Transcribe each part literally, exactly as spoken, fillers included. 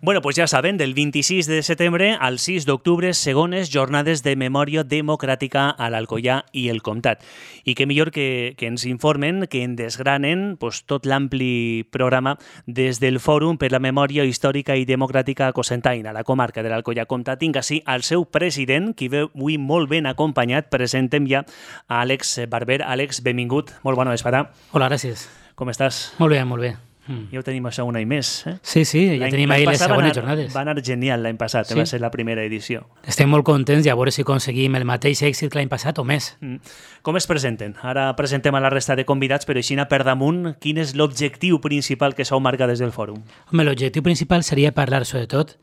Bueno, pues ja saben, del vint-i-sis de setembre al sis d'octubre, segones jornades de memòria democràtica a l'Alcoià i el Comtat. I què millor que, que ens informen, que en desgranen pues, tot l'ampli programa des del Fòrum per la Memòria Històrica i Democràtica Cocentaina, la comarca de l'Alcoià Comtat, tinc així al seu president, qui ve avui molt ben acompanyat. Presentem ja a Àlex Barber. Àlex, benvingut. Molt bona vesprada. Hola, gràcies. Com estàs? Molt bé, molt bé. Mm. Ja ho tenim això un any més. Eh? Sí, sí, ja tenim ahir les segones anar, jornades. Va anar genial l'any passat, sí. Va ser la primera edició. Estem molt contents i a veure si aconseguim el mateix èxit que l'any passat o més. Mm. Com es presenten? Ara presentem a la resta de convidats, però així per damunt, quin és l'objectiu principal que s'ho marca des del fòrum? Home, l'objectiu principal seria parlar sobretot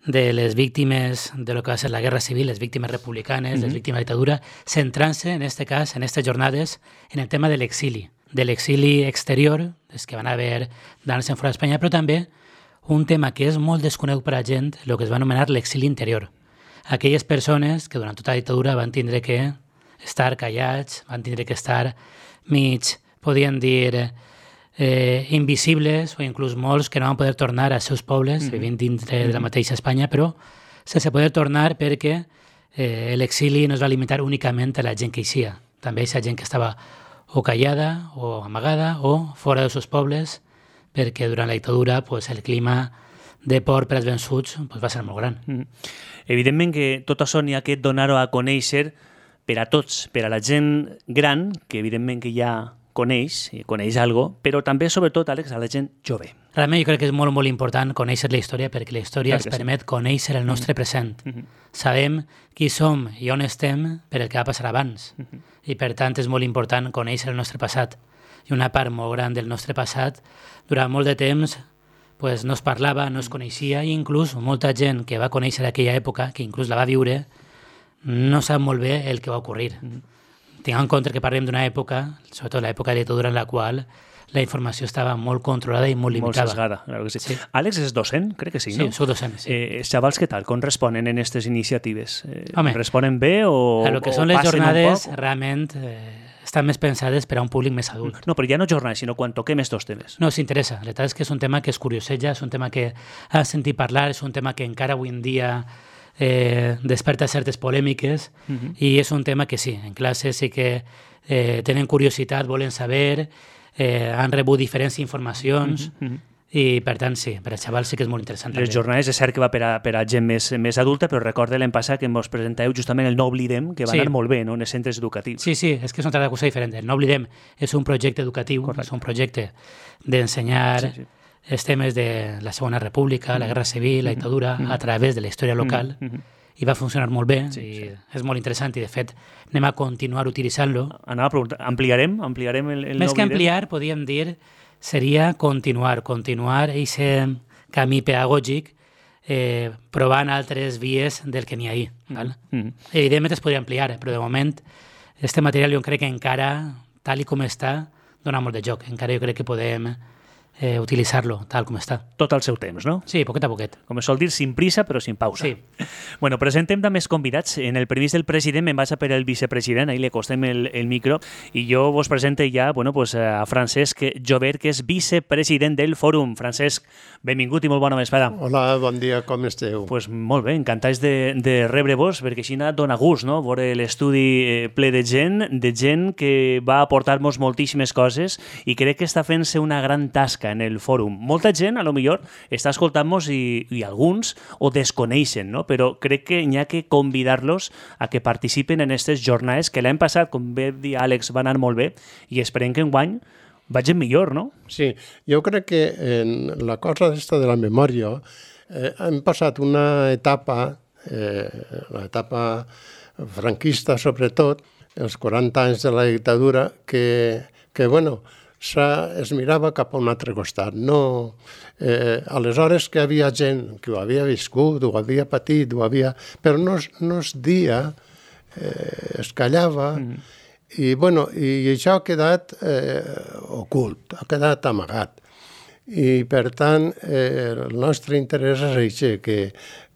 de les víctimes de lo que va ser la Guerra Civil, les víctimes republicanes, mm-hmm. les víctimes de la dictadura, centrant-se, en este cas, en aquestes jornades, en el tema de l'exili. de l'exili exterior, els que van haver d'anar-se'n fora d'Espanya, però també un tema que és molt desconegut per a la gent, el que es va anomenar l'exili interior. Aquelles persones que durant tota la dictadura van tindre que estar callats, van tindre que estar mig, podien dir, eh, invisibles, o inclús molts que no van poder tornar als seus pobles, mm-hmm. vivint dintre mm-hmm. de la mateixa Espanya, però sense poder tornar perquè eh, l'exili no es va limitar únicament a la gent que hi sia. També hi ha gent que estava o callada, o amagada, o fora dels seus pobles, perquè durant la dictadura pues, el clima de por per als vençuts pues, va ser molt gran. Mm. Evidentment que tot això n'hi ha que donar-ho a conèixer per a tots, per a la gent gran, que evidentment que ja coneix, i coneix alguna cosa, però també, sobretot, Àlex, a la gent jove. Realment jo crec que és molt, molt important conèixer la història perquè la història ens permet sí. conèixer el nostre present. Mm-hmm. Sabem qui som i on estem per el que va passar abans. Mm-hmm. I per tant és molt important conèixer el nostre passat. I una part molt gran del nostre passat, durant molt de temps, pues, no es parlava, no es coneixia, i inclús molta gent que va conèixer aquella època, que inclús la va viure, no sap molt bé el que va ocórrer. Mm-hmm. Tinguem en compte que parlem d'una època, sobretot l'època de dictadura en la qual la informació estava molt controlada i molt limitada. Molt sesgada, claro que sí. sí. Àlex és docent? Crec que sí, no? Sí, soc docent, sí. Eh, xavals, què tal? Com responen en aquestes iniciatives? Eh, Home, responen bé o a lo que són les jornades realment eh, estan més pensades per a un públic més adult. No, però ja no jornades, sinó quan toquem estos temes. No, s'interessa. La veritat és que és un tema que es curioseja, és un tema que has sentit parlar, és un tema que encara avui en dia eh, desperta certes polèmiques uh-huh. i és un tema que sí, en classe sí que eh, tenen curiositat, volen saber, eh, han rebut diferents informacions uh-huh. Uh-huh. i per tant sí, per als xavals sí que és molt interessant. Les també. Jornades és cert que va per a, per a gent més, més adulta, però recorde l'any passat que ens presenteu justament el No Oblidem, que va sí. anar molt bé, no?, en els centres educatius. Sí, sí, és que és una altra cosa diferent. El No Oblidem és un projecte educatiu, Correcte. És un projecte d'ensenyar sí, sí. els temes de la Segona República, la Guerra Civil, la dictadura, a través de la història local, i va funcionar molt bé, sí, i sí. és molt interessant, i de fet anem a continuar utilitzant-lo. Anava a preguntar, ampliarem? ampliarem el, el Més no que ampliar, podríem dir, seria continuar, continuar aquest camí pedagògic eh, provant altres vies del que n'hi ha ahí. Val? Mm. Evidentment es podria ampliar, però de moment este material jo crec que encara, tal i com està, dona molt de joc. Encara jo crec que podem eh, utilitzar-lo tal com està. Tot al seu temps, no? Sí, poquet a poquet. Com es sol dir, sin prisa però sin pausa. Sí. Bueno, presentem també els convidats. En el previst del president me'n vaig a per el vicepresident, ahí le costem el, el micro, i jo vos presente ja bueno, pues, a Francesc Jover, que és vicepresident del Fòrum. Francesc, benvingut i molt bona vesprada. Hola, bon dia, com esteu? Pues molt bé, encantats de, de rebre-vos, perquè així dona gust, no?, veure l'estudi ple de gent, de gent que va aportar-nos moltíssimes coses i crec que està fent-se una gran tasca en el fòrum. Molta gent, a lo millor, està escoltant-nos i, i alguns ho desconeixen, no? Però crec que n'hi ha que convidar-los a que participen en aquestes jornades que l'any passat, com bé dir Àlex, va anar molt bé i esperem que enguany vagin millor, no? Sí, jo crec que en la cosa d'esta de la memòria eh, hem passat una etapa, eh, l'etapa franquista sobretot, els quaranta anys de la dictadura, que, que bueno, es mirava cap a un altre costat. No, eh, aleshores que hi havia gent que ho havia viscut, ho havia patit, ho havia... però no, no es dia, eh, es callava, mm. i, bueno, i això ha quedat eh, ocult, ha quedat amagat. I, per tant, eh, el nostre interès és això, que,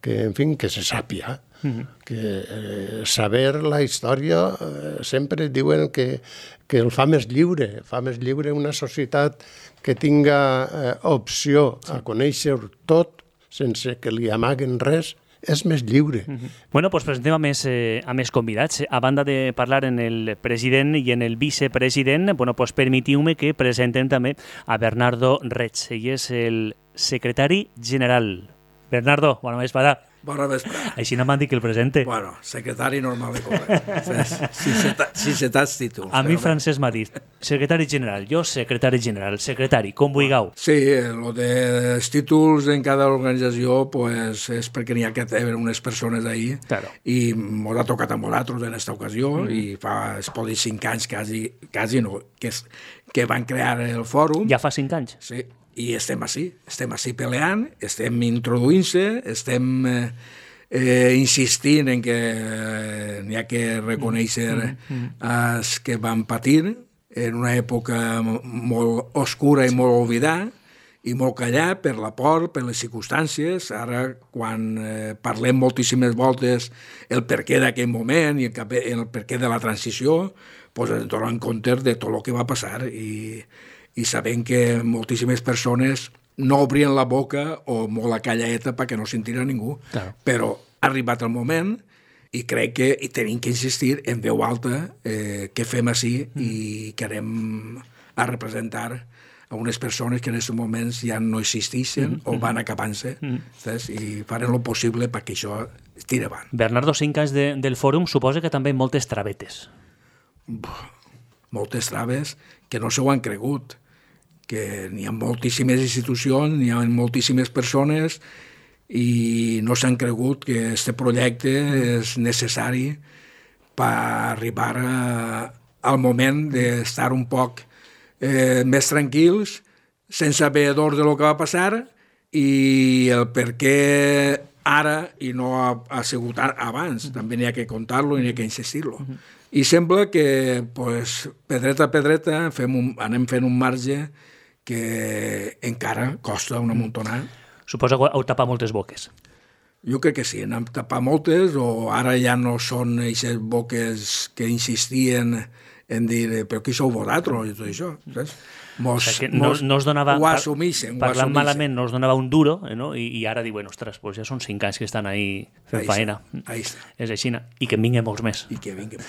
que, en fi, que se sàpia. Mm-hmm. Que eh, saber la història eh, sempre diuen que, que el fa més lliure, fa més lliure una societat que tinga eh, opció a conèixer tot sense que li amaguen res, és més lliure. Uh-huh. Bueno, doncs presentem a més, eh, a més convidats. A banda de parlar en el president i en el vicepresident, bueno, doncs permetiu-me que presentem també a Bernardo Reig. Ell és el secretari general. Bernardo, bona vesprada. Bona vesprada. Així no m'han dit que el presente. Bueno, secretari normal de corrent. Si se t'has títols. A mi Francesc m'ha dit, secretari general, jo secretari general, secretari, com vulgueu. Sí, el dels títols en cada organització pues, és perquè n'hi ha que tenir unes persones ahí claro. I m'ho ha tocat a nosaltres en aquesta ocasió mm. i fa, es pot dir, cinc anys quasi, quasi no, que, és, que van crear el fòrum. Ja fa cinc anys? Sí. I estem així, estem així peleant, estem introduint-se, estem eh, eh, insistint en que eh, n'hi ha que reconèixer els que van patir en una època molt oscura i molt oblidada i molt callat per la por, per les circumstàncies. Ara, quan eh, parlem moltíssimes voltes el perquè d'aquell moment i el, el perquè de la transició, doncs ens donem compte de tot el que va passar i i sabent que moltíssimes persones no obrien la boca o molt la callaeta perquè no sentirà ningú, claro. Però ha arribat el moment i crec que i tenim que insistir en veu alta eh, que fem així mm. i que anem a representar a unes persones que en aquests moments ja no existeixen mm. o van acabant-se mm. i farem el possible perquè això tiri avant. Bernardo, cinc anys de, del fòrum suposa que també moltes travetes. Moltes traves que no s'ho han cregut, que n'hi ha moltíssimes institucions, n'hi ha moltíssimes persones i no s'han cregut que aquest projecte és necessari per arribar a, al moment d'estar un poc eh, més tranquils, sense haver d'ordre de lo que va passar i el per què ara i no ha, ha sigut abans. També n'hi ha que contar-lo i n'hi ha que insistir-lo. I sembla que pues, pedreta a pedreta fem un, anem fent un marge que encara costa una muntonada. Suposa que heu tapat moltes boques. Jo crec que sí, n'hem tapat moltes, o ara ja no són aquestes boques que insistien en dir, però qui sou vosaltres i tot això, saps? Mos, o sigui que no, mos, no us donava, ho assumixen. Parlant malament no us donava un duro, eh, no? I, i ara diuen, ostres, pues ja són cinc anys que estan ahí fent ahí faena. Ahí està. És així, i que en vinguin molts més. I que vinguin.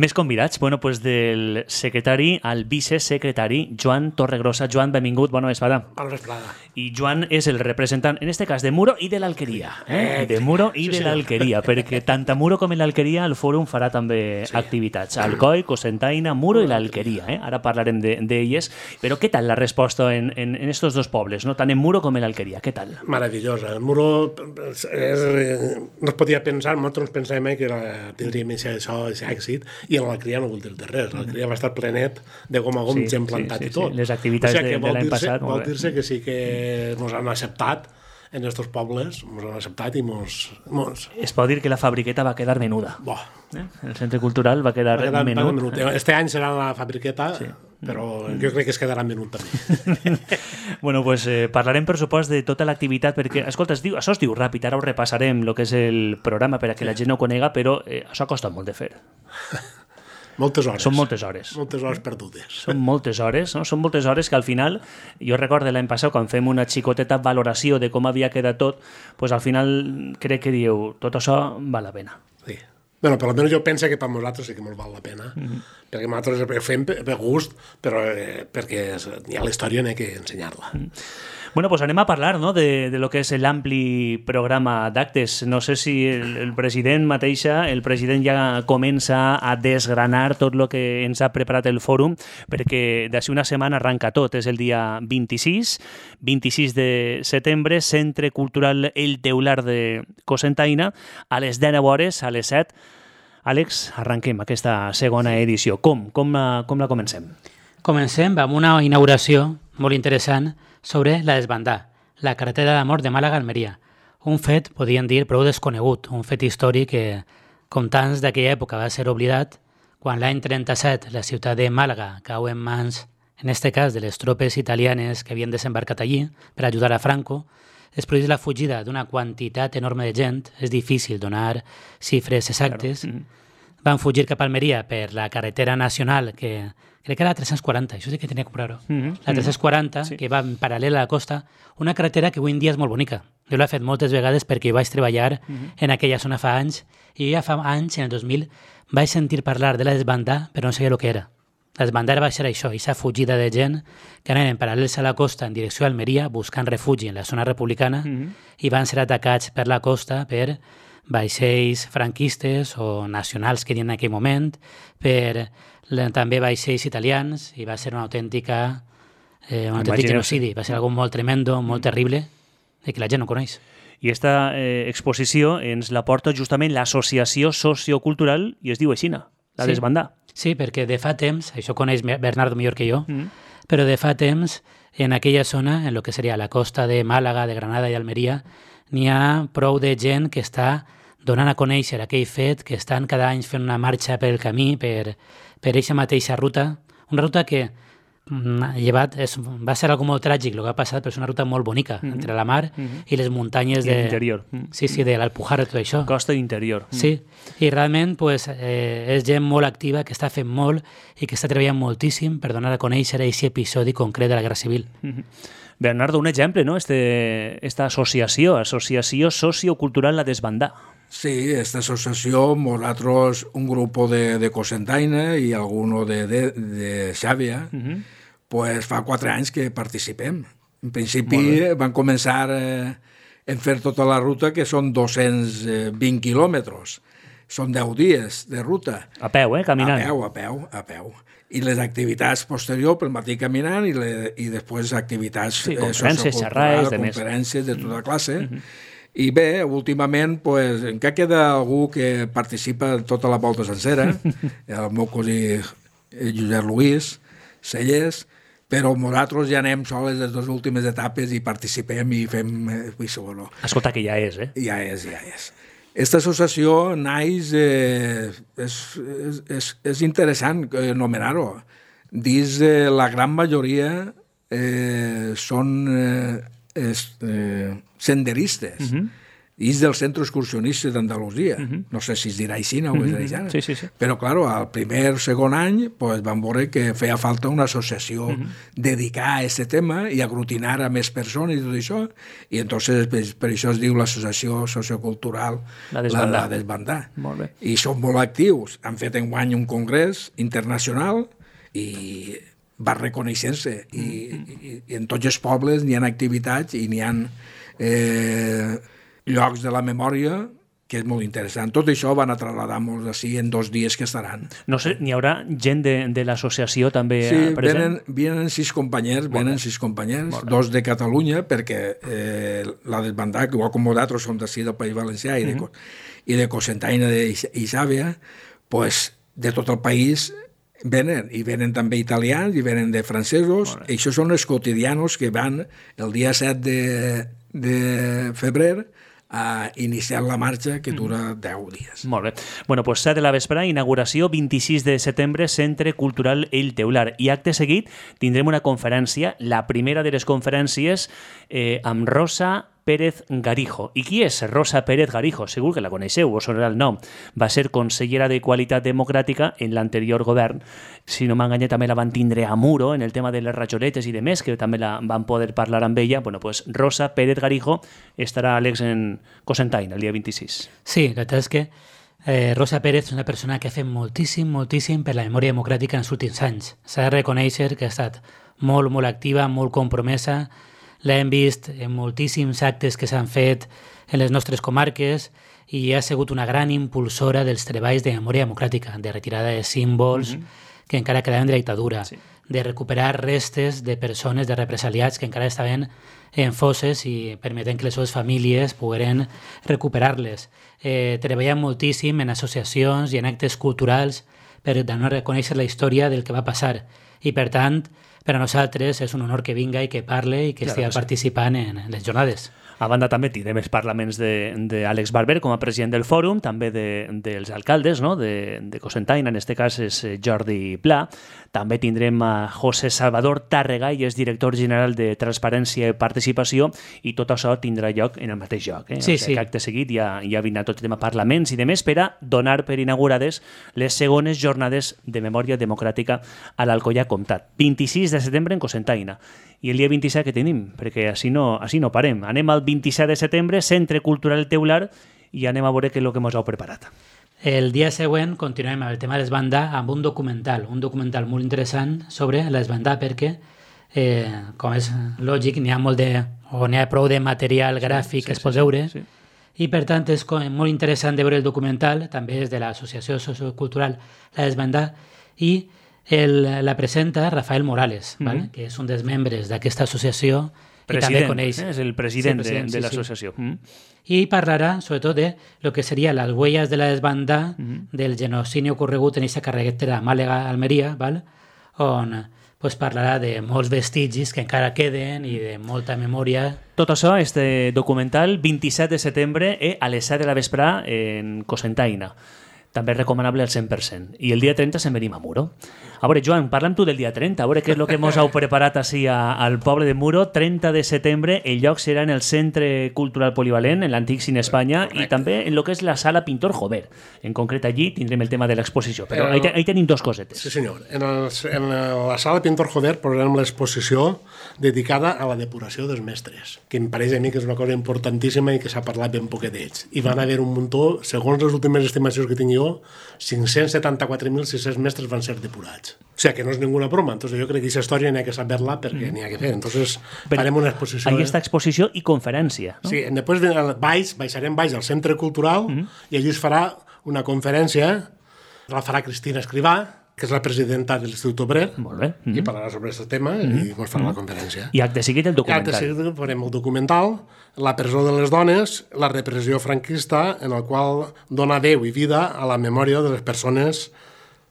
Més convidats, bueno, pues del secretari al vicesecretari, Joan Torregrossa. Joan, benvingut, bona vesprada. Bona vesprada. I Joan és el representant, en este cas, de Muro i de l'Alqueria. Eh? De Muro i sí, de sí. l'Alqueria, perquè tant a Muro com a l'Alqueria el fòrum farà també sí. activitats. Alcoi, Cocentaina, Muro i l'Alqueria. Eh? Ara parlarem d'elles. De, però què tal la resposta En, en, en estos dos pobles, ¿no? Tant en Muro com en l'Alqueria, què tal? Maravillosa. El Muro és, no es podia pensar, nosaltres pensàvem que era, tindríem això, això èxit, i en l'Alqueria no vol dir de res. L'Alqueria va estar plenet de gom a gom, sí, gent plantat sí, sí, i tot. Sí. Les activitats o sigui, de, de l'any passat. Vol dir-se que sí que ens han acceptat en estos pobles, ens han acceptat i mos, mos... Es pot dir que la fabriqueta va quedar menuda. Bo. Eh? El centre cultural va quedar, va quedar menut. menut. Este any serà la fabriqueta, sí. Però jo crec que es quedarà menut també. Bueno, pues eh, parlarem per supost de tota l'activitat, perquè, escolta, es diu, això es diu ràpid, ara ho repassarem, el que és el programa per a que la gent no ho conega, però eh, això costa molt de fer. Moltes hores. Són moltes hores. Moltes hores perdudes. Són moltes hores, no? Són moltes hores que al final, jo recordo l'any passat, quan fem una xicoteta valoració de com havia quedat tot, pues al final crec que dieu, tot això val la pena. Sí. Bueno, per almenys jo penso que per nosaltres sí que ens val la pena, mm-hmm. perquè nosaltres ho fem per gust, però eh, perquè hi ha la història n'hi ha que ensenyar-la. Mm. Bueno, pues anem a parlar, no?, de, de lo que és l'ampli programa d'actes. No sé si el, el president mateixa, el president ja comença a desgranar tot el que ens ha preparat el fòrum, perquè d'ací una setmana arranca tot. És el dia vint-i-sis, vint-i-sis de setembre, Centre Cultural El Teular de Cocentaina, a les deu hores, a les set. Àlex, arranquem aquesta segona edició. Com? Com la, com la comencem? Comencem amb una inauguració molt interessant sobre la Desbandà, la carretera d'amor de Màlaga-Almeria. Un fet, podríem dir, prou desconegut, un fet històric que, com tants d'aquella època, va ser oblidat quan l'any trenta-set la ciutat de Màlaga cau en mans, en este cas, de les tropes italianes que havien desembarcat allí per ajudar a Franco. Després de la fugida d'una quantitat enorme de gent, és difícil donar xifres exactes, claro. Van fugir cap a Almeria per la carretera nacional que, crec que era la tres-cents quaranta, això sí que tenia que comprar-ho. Mm-hmm. La tres-cents quaranta, Sí. que va en paral·lel a la costa, una carretera que avui en dia és molt bonica. Jo l'he fet moltes vegades perquè hi vaig treballar Mm-hmm. en aquella zona fa anys, i ja fa anys, en el dos mil, vaig sentir parlar de la desbandà, però no sabia el que era. La desbandà va ser això, aquesta fugida de gent que anaven paral·lels a la costa en direcció a Almeria, buscant refugi en la zona republicana, Mm-hmm. i van ser atacats per la costa per vaixells franquistes o nacionals que hi havia en aquell moment, per la- també vaixells italians, i va ser una autèntica, eh, un autèntic Imagineu-se. genocidi. Va ser algo molt tremendo, molt terrible, i que la gent no coneix. I aquesta eh, exposició ens la porta justament l'Associació Sociocultural i es diu aixina, la Sí. Desbandà. Sí, perquè de fa temps, això coneix Bernardo millor que jo, Mm. però de fa temps, en aquella zona, en lo que seria la costa de Màlaga, de Granada i Almeria, n'hi ha prou de gent que està donant a conèixer aquell fet, que estan cada any fent una marxa pel camí, per, per eixa mateixa ruta, una ruta que mm, llevat, és, va ser algo molt tràgic el que ha passat, però és una ruta molt bonica, Mhm. entre la mar Mhm. i les muntanyes I de... l'interior. Mm. Sí, sí, de l'Alpujarra, tot això. Costa interior. Mm. Sí, i realment pues, eh, és gent molt activa, que està fent molt i que està treballant moltíssim per donar a conèixer aquest episodi concret de la Guerra Civil. Mhm. Bernardo, un exemple, no? Este, esta associació, Associació Sociocultural La Desbandà. Sí, esta associació, nosaltres, un grup de, de Cocentaina i alguno de, de, de Xàbia, Uh -huh. pues fa quatre anys que participem. En principi van començar eh, en fer tota la ruta, que són dos-cents vint quilòmetres. Són deu dies de ruta. A peu, eh? Caminant. A peu, a peu, a peu. I les activitats posteriors, pel matí caminant, i, le, i després activitats Sí, conferències, socioculturals, xerrades, de més. conferències de tota classe. Uh -huh. I bé, últimament, pues, encara queda algú que participa tota la volta sencera, el meu cosí eh, Josep Luis Cellers, però nosaltres ja anem sols les dues últimes etapes i participem i fem... Eh, bueno, Escolta, que ja és, eh? ja és, ja és. Aquesta associació naix, eh, és, és, és, és interessant anomenar-ho. Dins eh, la gran majoria eh, són eh, es, eh, senderistes. Uh -huh. I és del Centre Excursionista d'Andalusia. Uh -huh. No sé si es dirà així o es dirà així. Sí, sí, sí. Però, clar, al primer, segon any, pues, vam veure que feia falta una associació uh -huh. dedicada a aquest tema i aglutinar a més persones i tot això. I entonces per, per això es diu l'Associació Sociocultural La Desbandà. La, la Desbandà. Molt bé. I són molt actius. Han fet enguany un congrés internacional i va reconeixent-se. I, i, I en tots els pobles n'hi ha activitats i n'hi ha eh, llocs de la memòria que és molt interessant. Tot això van a traslladar-nos així en dos dies que estaran. No sé, n'hi haurà gent de, de l'associació també Sí, eh, present? venen, venen sis companys, venen sis companys, dos de Catalunya, perquè eh, la Desbandà, que igual com nosaltres som d'ací del País Valencià i de, uh -huh. i de Cocentaina i Xàbia, pues, de tot el país venen, i venen també italians, i venen de francesos, i això són els quotidianos que van el dia set de, de febrer a iniciar la marxa, que dura deu dies. Molt bé. Bueno, pues set de la vesprada, inauguració, vint-i-sis de setembre, Centre Cultural El Teular. I acte seguit tindrem una conferència, la primera de les conferències, eh, amb Rosa Pérez Garijo. I qui és Rosa Pérez Garijo? Segur que la coneixeu, us sonarà el nom. Va ser consellera de Qualitat Democràtica en l'anterior govern. Si no m'enganya, també la van tindre a Muro en el tema de les rajoletes i de més, que també la van poder parlar amb ella. Bueno, pues Rosa Pérez Garijo estarà, Àlex, en Cocentaina el dia vint-i-sis. Sí, la veritat és que eh, Rosa Pérez és una persona que ha fet moltíssim, moltíssim per la memòria democràtica en els últims anys. S'ha de reconèixer que ha estat molt, molt activa, molt compromesa. L'hem vist en moltíssims actes que s'han fet en les nostres comarques i ha sigut una gran impulsora dels treballs de memòria democràtica, de retirada de símbols mm-hmm. que encara quedaven de la dictadura, sí. de recuperar restes de persones, de represaliats que encara estaven en fosses i permetent que les seves famílies pogueren recuperar-les. Eh, treballant moltíssim en associacions i en actes culturals per donar a conèixer la història del que va passar. I, per tant, per a nosaltres és un honor que vinga i que parle i que Claro estigui que sí. participant en les jornades. A banda també tindrem els parlaments d'Àlex Barber com a president del fòrum, també de, dels alcaldes, no? de, de Cocentaina, en aquest cas és Jordi Pla. També tindrem a José Salvador Tàrrega, i és director general de Transparència i Participació, i tot això tindrà lloc en el mateix lloc. Eh? Sí, o sigui, sí. Acte seguit ja, ja vindrà tot el tema parlaments i demés per a donar per inaugurades les segones jornades de memòria democràtica a l'Alcoià Comtat. vint-i-sis de setembre en Cocentaina. I el dia vint-i-set que tenim, perquè així no, així no parem. Anem al vint-i-set de setembre, Centre Cultural Teular, i anem a veure què és el que ens heu preparat. El dia següent continuem amb el tema de l'esbandà amb un documental, un documental molt interessant sobre l'esbandà, perquè, eh, com és lògic, n'hi ha molt de, o n'hi ha prou de material gràfic sí, sí, que es pot veure, sí, sí. I per tant és molt interessant de veure el documental, també és de l'associació sociocultural La Desbandà, i el, la presenta Rafael Morales, mm-hmm. ¿vale? Que és un dels membres d'aquesta associació president, i també coneix. Eh? És el president, sí, president de, de sí, l'associació. Sí. Mm-hmm. I parlarà sobretot de lo que seria les huellas de la desbandà mm-hmm. del genocidi ocorregut en aquesta carretera Màlaga-Almeria, ¿vale? On pues, parlarà de molts vestigis que encara queden i de molta memòria. Tot això, este documental, vint-i-set de setembre eh, a les set de la vesprà en Cocentaina. També és recomanable al cent per cent. I el dia trenta se'n venim a Muro. A veure, Joan, parla'm tu del dia trenta, a veure què és el que mos heu preparat així a, al poble de Muro. trenta de setembre, el lloc serà en el Centre Cultural Polivalent, en l'antic Cine Espanya, correcte. I també en el que és la sala Pintor Jover. En concret, allí tindrem el tema de l'exposició. Però el... ahí, ahí tenim dos cosetes. Sí, senyor. En, el, en la sala Pintor Jover posarem l'exposició dedicada a la depuració dels mestres, que em pareix a mi que és una cosa importantíssima i que s'ha parlat ben poquet d'ells. I van haver un muntó, segons les últimes estimacions que tinc jo, cinc-cents setanta-quatre mil sis-cents mestres van ser depurats. O sigui, que no és ninguna broma. Entonces, jo crec que aquesta història n'hi ha que saber-la perquè mm. n'hi ha que fer. Entonces, però farem una exposició. Ahí està exposició i conferència. No? Sí, després baix, baixarem baix al Centre Cultural mm. i allí es farà una conferència, la farà Cristina Escrivà, que és la presidenta de l'Institut Obrer, molt bé. Mm-hmm. i parlarà sobre aquest tema mm-hmm. i ens farà mm-hmm. la conferència. I acte seguit el documental. I acte seguit farem el documental, La presó de les dones, la repressió franquista, en el qual dona veu i vida a la memòria de les persones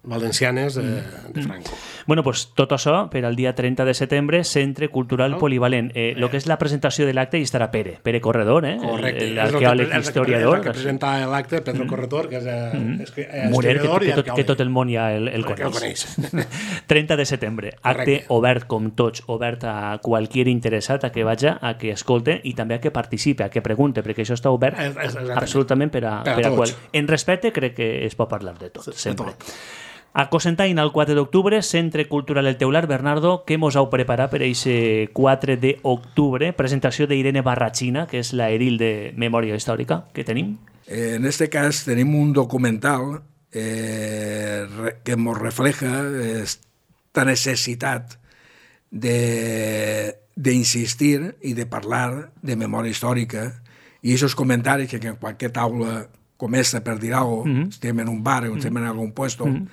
valencianes de, de Franco. Bueno, pues tot això per al dia trenta de setembre, Centre Cultural no? Polivalent. Eh, lo que és la presentació de l'acte hi estarà Pere, Pere Corredor, eh? Correcte. L'arqueòleg historiador. És el que presenta l'acte, Pedro mm. Corredor, que és, mm. és, és Murer, historiador que, i que, tot, que tot el món ja el, el coneix. El coneix. trenta de setembre, acte correcte. Obert com tots, obert a qualsevol interessat a que vaja, a que escolte i també a que participe, a que pregunte, perquè això està obert es, es, absolutament per a, per a, per a qual. En respecte crec que es pot parlar de tot, sempre. De tot. A Cocentaina, el quatre d'octubre, Centre Cultural El Teular. Bernardo, què mos heu preparat per aquest quatre d'octubre? Presentació d'Irene Barrachina, que és la edil de Memòria Històrica. Què tenim? En este cas tenim un documental eh, que ens refleja esta necessitat d'insistir i de parlar de memòria històrica i aquests comentaris que en qualsevol taula comença per dir alguna cosa, mm-hmm. estem en un bar o estem en algun puesto, mm-hmm.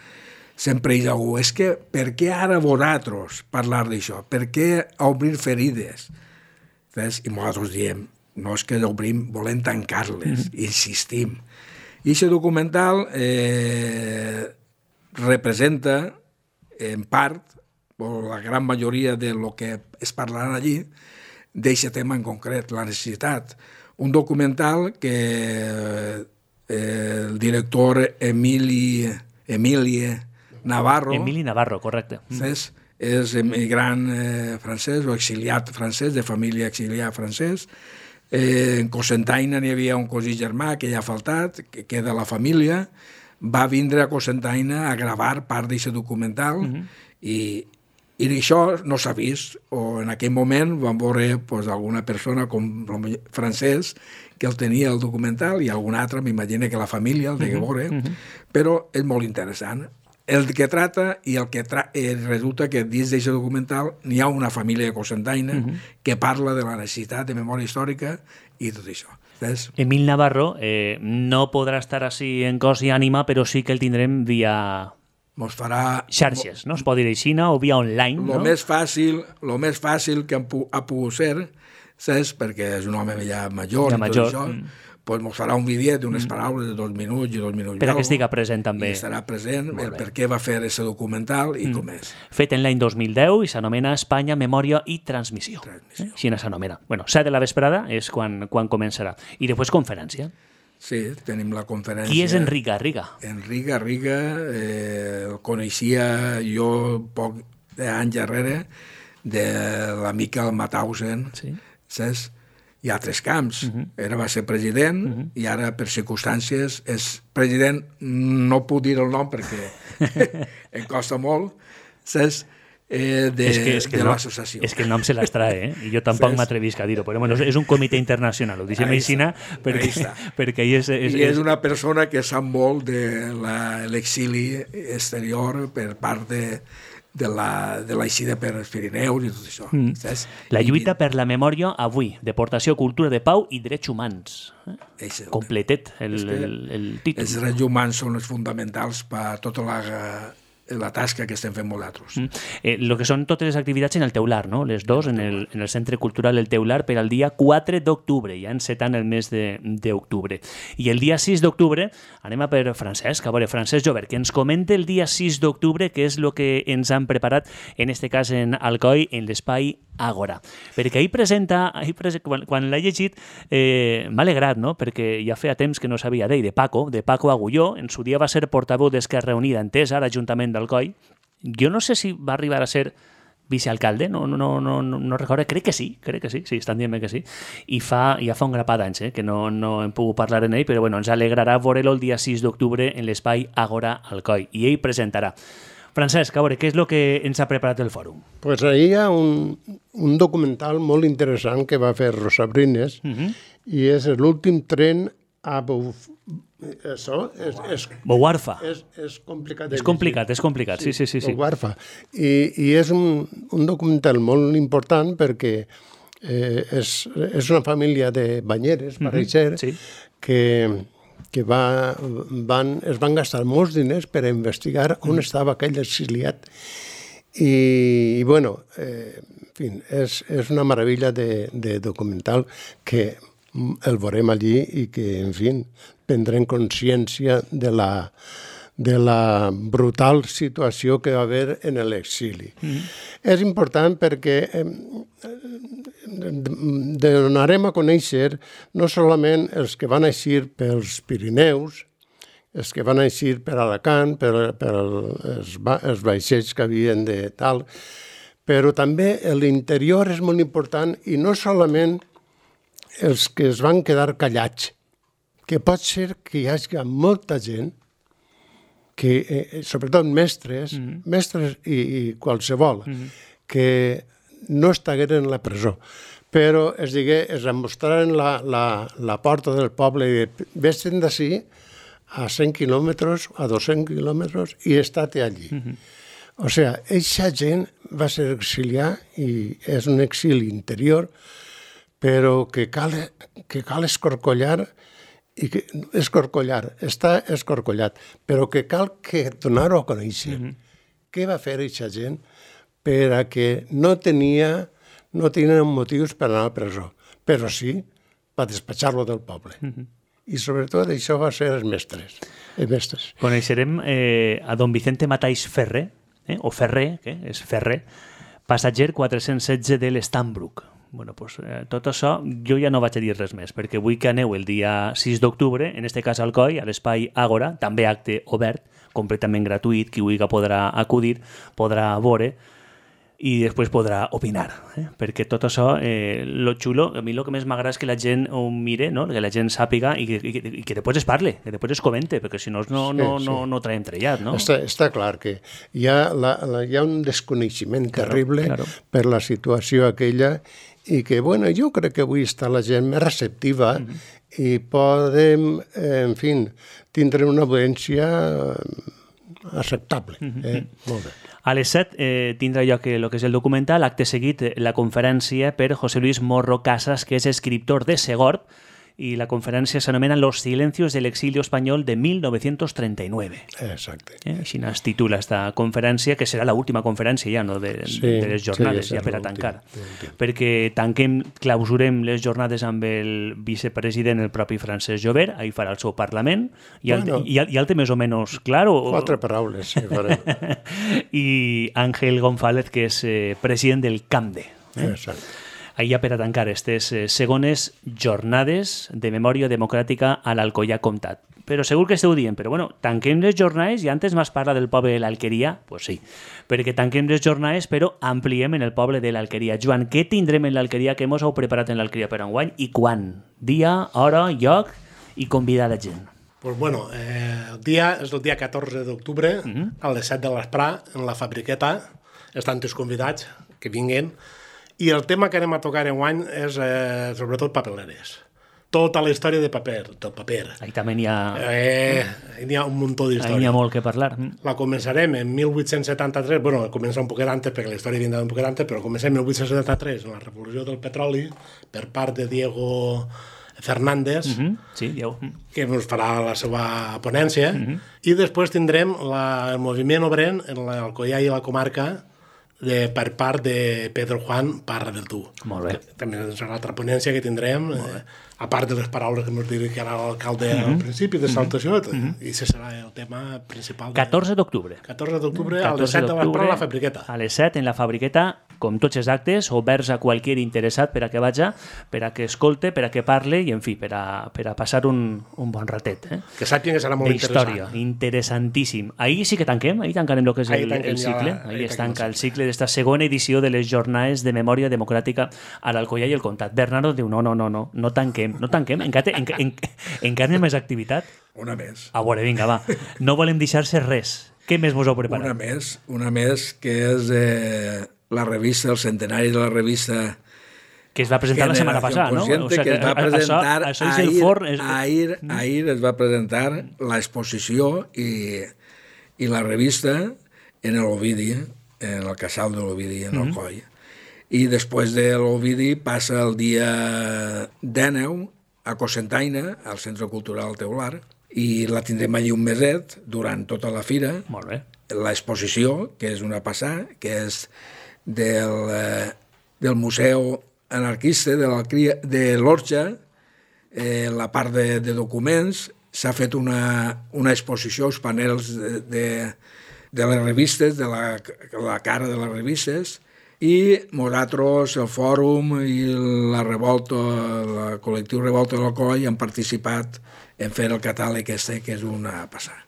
sempre hi ha algú, és que per què ara vosaltres parlar d'això? Per què obrir ferides? Ves? I nosaltres diem, no és que obrim, volem tancar-les, mm-hmm. insistim. I aquest documental eh, representa, en part, o la gran majoria de lo que es parlarà allí, d'aquest tema en concret, la necessitat. Un documental que eh, el director Emili, Emilie Navarro... Emili Navarro, correcte. És, és emigrant eh, francès o exiliat francès, de família exiliat francès. Eh, en Cocentaina n'hi havia un cosí germà que ja ha faltat, que queda la família. Va vindre a Cocentaina a gravar part d'aquest documental mm-hmm. i, i això no s'ha vist. O en aquell moment vam veure pues, alguna persona com francès que el tenia el documental i algun altre, m'imagino que la família el deia veure, mm-hmm. però és molt interessant. El que trata i el que tra eh, resulta que dins d'aquest documental n'hi ha una família de Cocentaina mm-hmm. que parla de la necessitat de memòria històrica i tot això. ¿Ves? Emil Navarro eh, no podrà estar així en cos i ànima, però sí que el tindrem via Mos farà xarxes, no? Es pot dir així, o via online. Lo no? més fàcil, lo més fàcil que ha pogut ser, saps? Perquè és un home ja major, ja i tot major. Això, mm. pues mos farà un vídeo d'unes paraules de dos minuts i dos minuts. Per a que estiga present també. I estarà present el per què va fer aquest documental i com és. Fet en l'any dos mil deu i s'anomena Espanya, Memòria i Transmissió. Transmissió. Eh? Així s'anomena. Bueno, set de la vesprada és quan, quan començarà. I després conferència. Sí, tenim la conferència. Qui és Enric Garriga? Enric Garriga, eh, el coneixia jo poc d'anys darrere de l'amic el Mauthausen, Sí. saps? Hi ha tres camps. Uh -huh. Era va ser president uh -huh. i ara, per circumstàncies, és president, no puc dir el nom perquè em costa molt, saps? Eh, de, és que, és que de no, l'associació. És que el nom se l'extrae, eh? I jo tampoc Sí. m'atrevisc a dir-ho, però bueno, és un comitè internacional, ho deixem així, perquè, perquè ell és, és, I és una persona que sap molt de l'exili exterior per part de, de la, de l'aixida per els Pirineus i tot això. Mm. Saps? La I- lluita per la memòria avui, deportació, cultura de pau i drets humans. Eh? és el- Completet el, és que el, el títol. Els drets humans són els fonamentals per a tota la, la tasca que estem fent nosaltres. Mm. Eh, lo que són totes les activitats en el Teular, no? Les dos en el, en el Centre Cultural El Teular per al dia quatre d'octubre, ja encetant el mes de- d'octubre. I el dia sis d'octubre anem a per Francesc, a veure, Francesc Jobert, que ens comente el dia sis d'octubre què és el que ens han preparat, en este cas en Alcoi, en l'espai Àgora. Perquè ahir presenta, ahir prese, quan, quan l'he llegit, eh, m'ha alegrat, no? Perquè ja feia temps que no sabia d'ell, de Paco, de Paco Agulló, en su dia va ser portaveu d'Esquerra Unida Entesa, a l'Ajuntament d'Alcoi. Jo no sé si va arribar a ser vicealcalde, no, no, no, no, no recordo, crec que sí, crec que sí, sí, estan dient que sí, i fa, ja fa un grapat d'anys, eh, que no, no hem pogut parlar en ell, però bueno, ens alegrarà veure-lo el dia sis d'octubre en l'espai Àgora Alcoi, i ell presentarà. Francesc, a veure, què és el que ens ha preparat el fòrum? Pues ahir hi ha un, un documental molt interessant que va fer Rosa Brines uh -huh. i és l'últim tren a Buf... Això és, és, Bouarfa. és, és complicat. de És complicat, llegir. és complicat, sí, sí, sí. sí. Bouarfa. I, I és un, un documental molt important perquè eh, és, és una família de banyeres, uh -huh. pareix ser, sí. que, que va, van, es van gastar molts diners per a investigar on estava aquell exiliat. I, i bueno, eh, en fi, és, és una meravella de, de documental que el veurem allí i que, en fi, prendrem consciència de la, de la brutal situació que va haver en l'exili. Mm. És important perquè eh, donarem a conèixer no solament els que van eixir pels Pirineus, els que van eixir per Alacant, per, per els, els vaixells que havien de tal, però també l'interior és molt important i no solament els que es van quedar callats, que pot ser que hi hagi molta gent, que, eh, sobretot mestres, mm -hmm. mestres i, i qualsevol, mm -hmm. que no estagueren en la presó, però es digué, es mostraren la, la, la porta del poble i vés-te'n d'ací a cent quilòmetres, a dos-cents quilòmetres, i estate allí. Mm -hmm. O sigui, eixa gent va ser exiliar i és un exili interior, però que cal, que cal escorcollar, i que, escorcollar, està escorcollat, però que cal que donar-ho a conèixer. Mm -hmm. Què va fer eixa gent per a que no tenia, no tenien motius per anar a presó, però sí per despatxar-lo del poble. Mm -hmm. I sobretot això va ser els mestres. Els mestres. Coneixerem eh, a don Vicente Mataix Ferrer, eh, o Ferrer, que és Ferrer, passatger quatre-cents setze de l'Estambrook. Bueno, pues, eh, tot això jo ja no vaig a dir res més, perquè vull que aneu el dia sis d'octubre, en este cas al Alcoi, a l'espai Àgora, també acte obert, completament gratuït, qui vulgui podrà acudir, podrà veure i després podrà opinar, eh? Perquè tot això, eh, lo xulo, a mi el que més m'agrada és que la gent ho mire, no? Que la gent sàpiga i que, i que, i que després es parle, que després es comente, perquè si no no, no, Sí, sí. no, no traiem trellat, no? Està, està clar que hi ha, la, la, hi ha un desconeixement Claro, terrible claro. per la situació aquella i que, bueno, jo crec que avui està la gent més receptiva mm -hmm. i podem, eh, en fi, tindre una audiència acceptable. Mm -hmm. eh? Molt bé. A les set eh, tindrà lloc el que és el documental, acte seguit la conferència per José Luis Morro Casas, que és escriptor de Segorb, i la conferència s'anomena Los silencios del exilio español de mil nou-cents trenta-nueve. Exacte. Eh? Així es titula esta conferència, que serà l'última conferència ja, no? de, Sí, de les jornades, sí, ja per a és tancar. l'últim. Perquè tanquem, clausurem les jornades amb el vicepresident, el propi Francesc Jobert, ahir farà el seu Parlament, i el, Bueno. i, el, i el té més o menys clar. O, Quatre paraules, sí, farem. I Ángel González, que és eh, president del CAMDE. Eh? Exacte. Ahí ja per a tancar aquestes eh, segones jornades de memòria democràtica a l'Alcoià Comtat. Però segur que esteu dient, però bueno, tanquem les jornades i antes m'has parlat del poble de l'Alqueria? Pues sí, perquè tanquem les jornades però ampliem en el poble de l'Alqueria. Joan, què tindrem en l'Alqueria, què mos heu preparat en l'Alqueria per enguany i quan? Dia, hora, lloc i convidar la gent. Pues bueno, eh, el dia és el dia catorze d'octubre, uh -huh. a les set de l'esprà, en la Fabriqueta. Estan tots convidats que vinguin. I el tema que anem a tocar enguany és eh, sobretot papeleres. Tota la història de paper, del paper. Ahí també n'hi ha, Eh, n'hi ha un muntó ahí n'hi ha d'història. molt que parlar. La començarem en mil vuit-cents setanta-tres, bueno, comença un poquet antes, perquè la història vindrà un poquet antes, però comencem en mil vuit-cents setanta-tres, en la revolució del petroli, per part de Diego Fernández, Uh -huh. Sí, dieu. que ens farà la seva ponència, uh -huh. i després tindrem la, el moviment obrer en l'Alcoià i la comarca de, per part de Pedro Juan Parra del Tu. Molt bé. Que també serà l'altra ponència que tindrem, eh, a part de les paraules que ens dirigirà l'alcalde uh -huh. al principi de saltació, uh -huh. i això serà el tema principal. De... catorze d'octubre. catorze d'octubre a les set de l'esprà a la Fabriqueta. A les set en la Fabriqueta, com tots els actes, oberts a qualsevol interessat per a que vaja, per a que escolte, per a que parle i, en fi, per a, per a passar un, un bon ratet. Eh? Que sàpiguen que serà molt D'història, interessant. interessantíssim. Ahir sí que tanquem, ahir tancarem el que és Ahir el, tanquem el ja la- cicle. ahir Ahir es tanquem el tanca el cicle d'esta segona edició de les jornades de memòria democràtica a l'Alcoià i el Comtat. Bernardo diu, no, no, no, no, no tanquem, no tanquem, encara, en, en, encara hi ha més activitat. Una més. A veure, vinga, va. No volem deixar-se res. Què més vos heu preparat? Una més, una més, que és eh, la revista, el centenari de la revista Que es va presentar la setmana passada, no? Consciente, O sea, que es va a- a- presentar això, això és el ahir, forn... És... ahir, ahir es va presentar l'exposició i, i la revista en l'Ovidi, en el casal de l'Ovidi, en el coll. I després de l'Ovidi passa el dia dinou a Cocentaina, al Centre Cultural Teular, i la tindrem allí un meset durant tota la fira. Molt bé. L'exposició, que és una passada, que és del, eh, del Museu Anarquista de, la, de l'Orxa, eh, la part de, de documents, s'ha fet una, una exposició, els panels de, de, de les revistes, de la, la cara de les revistes, i nosaltres, el Fòrum i la Revolta, el col·lectiu Revolta de l'Alcoi han participat en fer el catàleg este, que és una passada.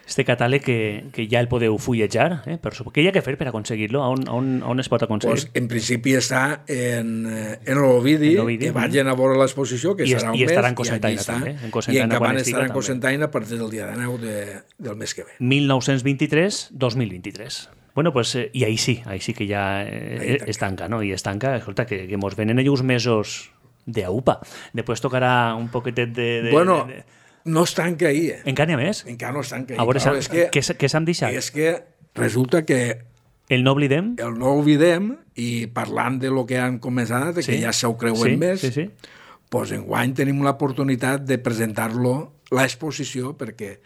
Este catàleg que, que ja el podeu fullejar, eh? Per suposo. Què hi ha que fer per aconseguir-lo? On, on, on es pot aconseguir? Pues, en principi està en, en l'Ovidi, que vagin a veure l'exposició, que I serà un i mes. estarà en Cocentaina, també. En Cocentaina, I en quan Caban estiga, estarà en també. Cocentaina a partir del dia dinou de, del mes que ve. mil nou-cents vint-i-tres dos mil vint-i-tres. Bueno, pues, eh, i ahí sí, ahí sí que ja eh, es tanca, no? I es tanca, escolta, que, que mos venen ells uns mesos d'aupa. Després tocarà un poquetet de... de bueno, de, de... no es tanca ahir, eh? Encara n'hi ha més? Encara no es tanca ahir. A veure, Però s'ha- és que, què, s- què s'han deixat? és que resulta que El no oblidem? el no oblidem, i parlant de lo que han començat, de que Sí. ja s'ho creuen Sí, més, sí, sí. pues enguany tenim l'oportunitat de presentar-lo, l'exposició, perquè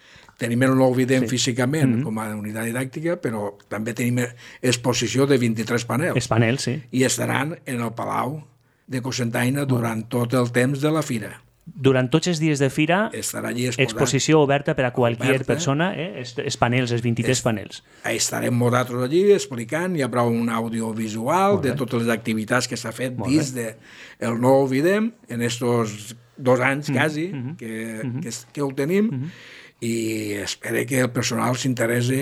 tenim el no oblidem sí. físicament mm -hmm. com a unitat didàctica, però també tenim exposició de vint-i-tres panels. Els panels, sí. I estaran en el Palau de Cocentaina durant tot el temps de la fira. Durant tots els dies de fira, Estarà allí exposat. exposició oberta per a qualsevol Oberta. persona, eh? Els, els panels, els vint-i-tres Es- panels. Estarem nosaltres allí explicant, hi haurà un audiovisual de totes les activitats que s'ha fet Molt dins de el No Oblidem en estos dos anys quasi mm-hmm. que, que, es- que ho tenim, i espero que el personal s'interessi,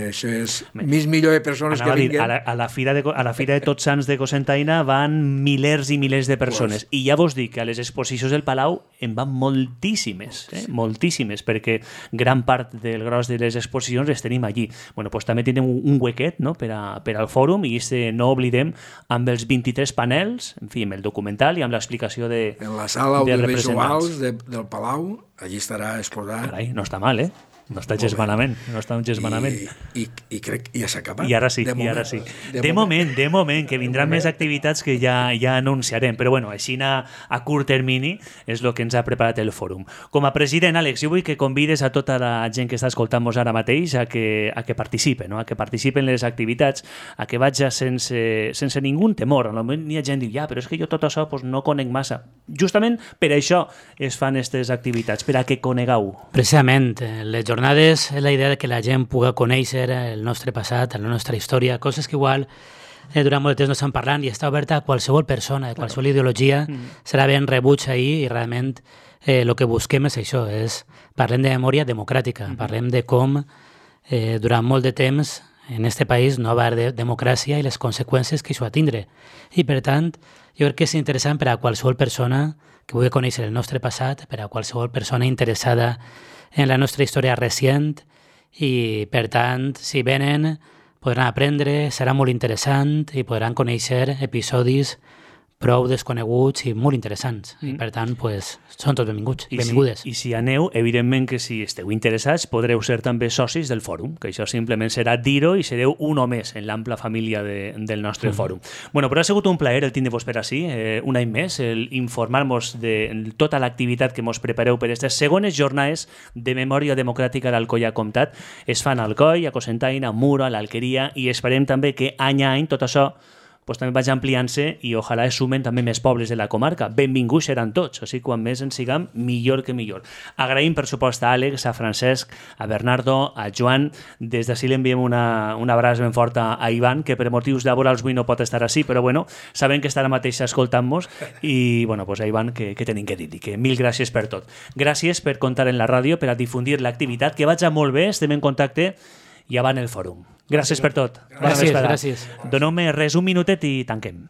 això és més millor de persones Anava a que dir, vinguen. a la, a la fira de, a la fira de Tots Sants de Cocentaina van milers i milers de persones. I ja vos dic que a les exposicions del Palau en van moltíssimes, eh? moltíssimes, perquè gran part del gros de les exposicions les tenim allí. Bueno, pues també tenim un, un huequet, no?, per, a, per al fòrum, i este no oblidem amb els vint-i-tres panels, en fi, amb el documental i amb l'explicació de En la sala de audiovisuals representants. de, del Palau, allí estarà exposat. Carai, no està mal, eh? No està gens malament, no està gens malament. I, i, i crec que ja s'ha acabat. I ara sí, de i moment, ara sí. De, de moment, moment, de moment, que vindran més activitats que ja ja anunciarem, però bueno, així a, a curt termini és el que ens ha preparat el fòrum. Com a president, Àlex, jo vull que convides a tota la gent que està escoltant-nos ara mateix a que, a que participe, no? A que participen en les activitats, a que vaja sense, sense ningú temor. A lo millor hi ha gent que diu, ja, però és que jo tot això pues, no conec massa. Justament per això es fan aquestes activitats, per a que conegueu. Precisament, les jornades és la idea de que la gent pugui conèixer el nostre passat, la nostra història, coses que igual eh, durant molt de temps no estan parlant i està oberta a qualsevol persona, de qualsevol claro. ideologia, mm. serà ben rebuig ahir i realment el eh, que busquem és això, és parlem de memòria democràtica, mm. parlem de com eh, durant molt de temps en este país no va haver de democràcia i les conseqüències que això va tindre. I per tant, jo crec que és interessant per a qualsevol persona que vulgui conèixer el nostre passat, per a qualsevol persona interessada en la nostra història recent i, per tant, si venen, podran aprendre, serà molt interessant i podran conèixer episodis prou desconeguts i molt interessants. Mm. I, per tant, pues, són tots benvinguts, I benvingudes. Si, I si aneu, evidentment que si esteu interessats podreu ser també socis del fòrum, que això simplement serà dir-ho i sereu un o més en l'ampla família de, del nostre mm. fòrum. Bueno, però ha sigut un plaer el tindre-vos per ací, eh, un any més, el informar-vos de tota l'activitat que mos prepareu per aquestes segones jornades de memòria democràtica d'Alcoia Comtat. Es fan a Alcoi, a Cocentaina, a Muro, a l'Alqueria, i esperem també que any a any tot això pues també vaig ampliant-se i ojalà es sumen també més pobles de la comarca. Benvinguts seran tots, o sigui, quan més en siguem, millor que millor. Agraïm, per supost, a Àlex, a Francesc, a Bernardo, a Joan. Des d'ací li enviem una, una abraç ben forta a Ivan, que per motius laborals avui no pot estar així, però bueno, sabem que estarà mateix escoltant-nos i, bueno, pues a Ivan, que, que tenim que dir-li, que mil gràcies per tot. Gràcies per comptar en la ràdio, per a difundir l'activitat, que vaig molt bé, estem en contacte i avant el fòrum. Gràcies per tot. Gràcies, gràcies. Doneu-me res, un minutet i tanquem.